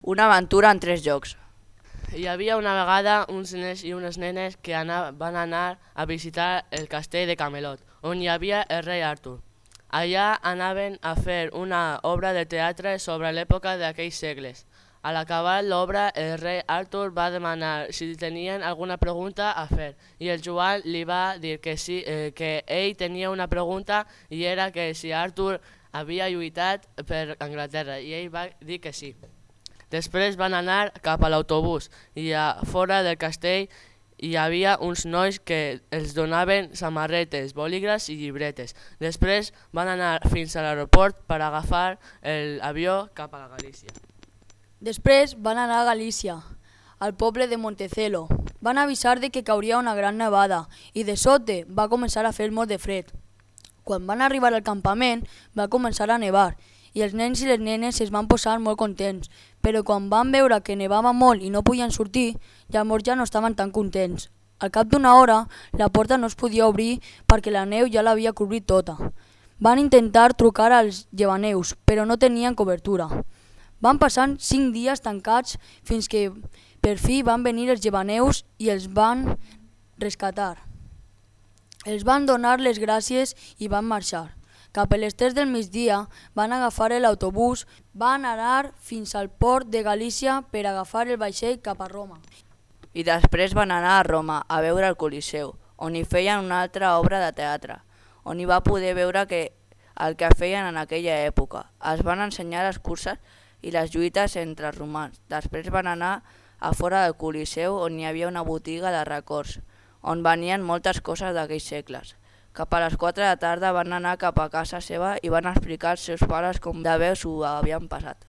Una aventura en 3 jocs. Hi havia una vegada uns nens i unes nenes que van anar a visitar el castell de Camelot, on hi havia el rei Artur. Allà anaven a fer una obra de teatre sobre l'època d'aquells segles. A l'acabar l'obra, el rei Artur va demanar si tenien alguna pregunta a fer i el Joan li va dir que sí, que ell tenia una pregunta i era que si Artur havia lluitat per Anglaterra i ell va dir que sí. Després van anar cap a l'autobús i a fora del castell hi havia uns nois que els donaven samarretes, bolígrafs i llibretes. Després van anar fins a l'aeroport per agafar l'avió cap a la Galícia. Després van anar a Galícia, al poble de Montecelo. Van avisar de que cauria una gran nevada i de sobte va començar a fer molt de fred. Quan van arribar al campament va començar a nevar i els nens i les nenes es van posar molt contents, però quan van veure que nevava molt i no podien sortir, llavors ja no estaven tan contents. Al cap d'una hora, la porta no es podia obrir perquè la neu ja l'havia cobrit tota. Van intentar trucar als llevaneus, però no tenien cobertura. Van passar 5 dies tancats fins que per fi van venir els llevaneus i els van rescatar. Els van donar les gràcies i van marxar. Cap a les 3 del migdia van agafar l'autobús, van anar fins al port de Galícia per agafar el vaixell cap a Roma. I després van anar a Roma a veure el Coliseu, on hi feien una altra obra de teatre, on hi va poder veure el que feien en aquella època. Es van ensenyar les curses i les lluites entre els romans. Després van anar a fora del Coliseu, on hi havia una botiga de records, on venien moltes coses d'aquells segles. Cap a les 4 de la tarda van anar cap a casa seva i van explicar als seus pares com de bé s'ho havien passat.